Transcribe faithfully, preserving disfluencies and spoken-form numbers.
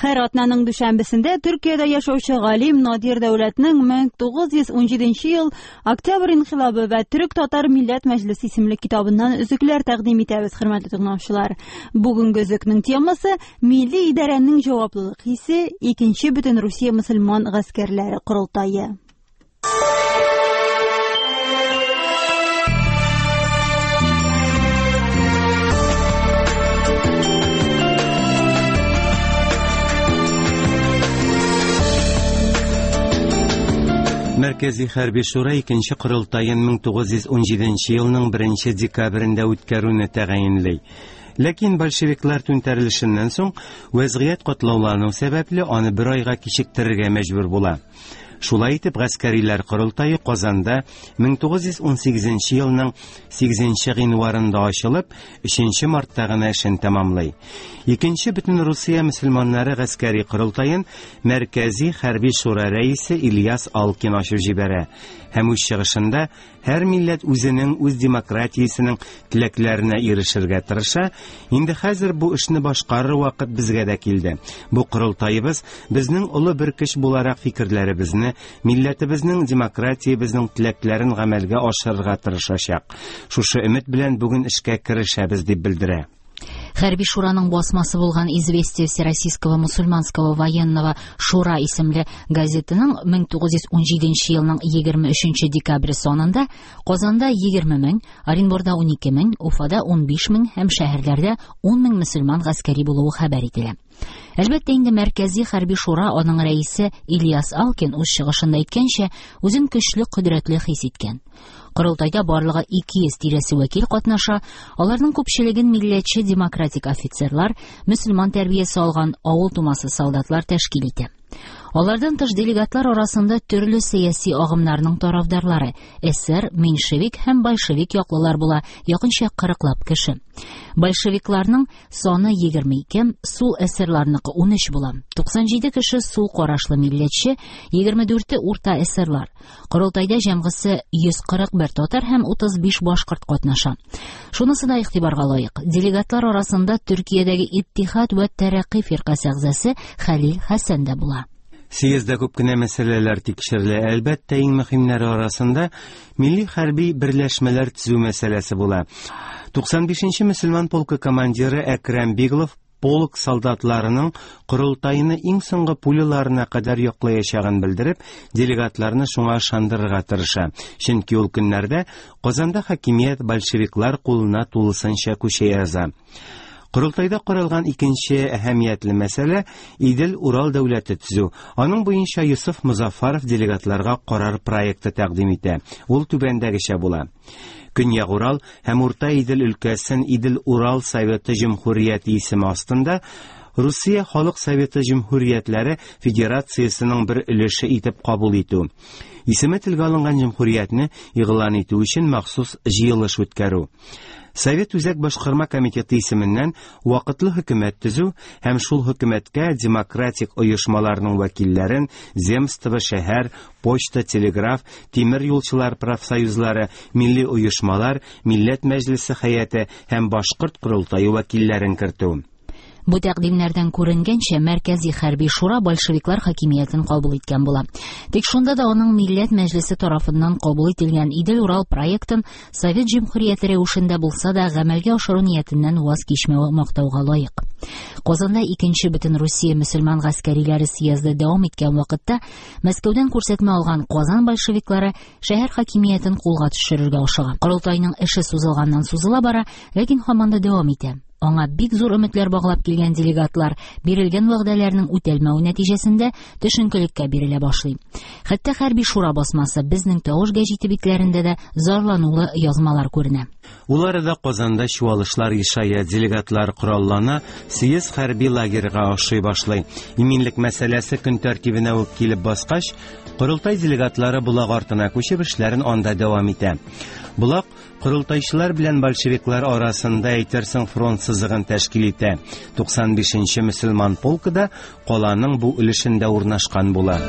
Һәр атнаның дүшәмбесендә Төркиядә яшәүче галим Надир Дәүләтнең мең тугыз йөз унҗиденче ел Октябрь инкыйлабы вә Төрек-татар милләт мәҗлесе исемле китабыннан өзекләр тәкъдим итәбез, хөрмәтле тыңлаучылар. Бүгенге өзекнең темасы милли идарәнең җаваплылык хисе, икенче бөтен Русия мөселман гаскәрләре корылтае. Мәркәзи Хәрби Шура икенче корылтаен мең тугыз йөз унҗиденче елның беренче декабрендә үткәрүне тәгаенли. Ләкин большевиклар түнтәрелешеннән соң вәзгыять катлаулану сәбәпле аны бер айга кичектерергә мәҗбүр була. Шулай итеп, гаскәриләр корылтае Казанда мең тугыз йөз унсигезенче елның сигезенче гыйнварында ачылып, өченче мартта гына эшен тәмамлый. Икенче бөтен Русия мөселманнары гаскәри корылтаен Мәркәзи Хәрби Шура рәисе Ильяс Алкин ачып җибәрә һәм үз чыгышында һәр милләт үзенең үз демократиясенең теләкләренә ирешергә тырыша, инде хәзер бу эшне башкарыр вакыт безгә дә килде. Бу корылтаебыз безнең олы бер көч буларак фикерләребезне, милләтебезнең демократиябезнең теләкләрен гамәлгә ашырырга тырышачак. Шушы өмет белән бүген эшкә керешәбез дип белдерә. Хәрби Шураның басмасы булган Известия Всероссийского мусульманского военного Шура исемле газетының мең тугыз йөз унҗиденче елның егерме өченче декабре санында Казанда егерме мең, Оренбурда унике мең, Уфада унбиш мең һәм шәһәрләрдә ун мең мөселман гаскәри булуы хәбәр ителә. Әлбәттә инде Мәркәзи Хәрби Шура аның рәисе Ильяс Алкин үз чыгышында әйткәнчә, үзен көчле, кодрәтле хис иткән. Корылтайда барлыгы ике йөз тирәсе вәкил катнаша, аларның күпчелеген милләтче демократик офицерлар, мөселман тәрбиясе алган авыл тумасы солдатлар тәшкил итә. Алардан тыш делегатлар арасында төрле сәяси агымнарның тарафдарлары, эсер, меньшевик һәм большевик яклылар була, якынча кырыклап кеше. Большевикларның саны егерме ике, сул эсерларныкы унөч була. Туксан җиде кеше сул карашлы милләтче, егерме дүрте урта эсерлар. Корылтайда җәмгысе йөз кырык бер татар һәм утыз биш башкорт катнаша. Шунысы да игътибарга лаек. Делегатлар арасында Төркиядәге Иттихад вә Тәрәкъи фиркасе әгъзасы Хәлил Хәсән дә була. Съездда күп кенә мәсьәләләр тикшерелә. Әлбәттә, иң мөһимнәре арасында милли хәрби берләшмәләр төзү мәсьәләсе була. Туксан бишенче мөселман полкы командиры Әкрәм Биглов полк солдатларының корылтайны иң соңгы пуляларына кадәр яклаячагын белдереп, делегатларны шуңа ышандырырга тырыша. Чөнки ул көннәрдә Казанда хакимият большевиклар кулына тулысынча күчә яза. Корылтайда каралган икенче әһәмиятле мәсьәлә Идел-Урал дәүләте төзү. Аның буенча Юсуф Музаффаров делегатларга карар проекты тәкъдим итә. Ул түбәндәгечә була. Көньяк Урал һәм Урта Идел өлкәсен Идел-Урал Советы Җөмһүрияте исеме астында Русия Халык Советы Җөмһүриятләре Федерациясенең бер өлеше итеп кабул итү. Исеме телгә алынган җөмһүриятне игълан итү өчен махсус җыелыш үткәрү. Совет Үзәк Башкарма комитеты исеменнән вакытлы хөкүмәт төзү һәм шул хөкүмәткә демократик оешмаларның вәкилләрен земство, шәһәр, почта, телеграф, тимер юлчылар профсоюзлары, милли оешмалар, милләт мәҗлесе хәяте һәм башкорт корылтае вәкилләрен кертү. Бу тәкъдимнәрдән күренгәнчә, Мәркәзи Хәрби Шура большевиклар хакимиятен кабул иткән була. Тик шунда да аның Милләт Мәҗлесе тарафыннан кабул ителгән Идел-Урал проектын Совет Җөмһүрияте рәвешендә булса да гамәлгә ашыру ниятеннән ваз кичмәве мактауга лаек. Казанда икенче бөтен Русия мөселман гаскәриләре съезды дәвам иткән вакытта Мәскәүдән күрсәтмә алган Казан большевиклары шәһәр хакимиятен кулга төшерергә ашыга. Корылтайның эше сузылганнан сузыла бара, ләкин һаман да дәвам итә. Аңа бик зур өметләр баглап килгән делегатлар бирелгән вәгъдәләрнең үтәлмәве нәтиҗәсендә төшенкелеккә бирелә башлый. Хәтта Хәрби Шура басмасы Безнең тавыш гәҗите битләрендә дә зарланулы язмалар күренә. Ул арада Казанда чуалышлар ешая, делегатлар кораллана, съезд хәрби лагерьга ошый башлый. Иминлек мәсьәләсе көн тәртибенә үк килеп баскач, корылтай делегатлары Болак артына күчеп эшләрен анда дәвам итә. Болак корылтайчылар белән большевиклар арасында әйтерсең фронт сызыгын тәшкил итә. Туксан бишенче мөселман полкы да каланың бу өлешендә урнашкан була.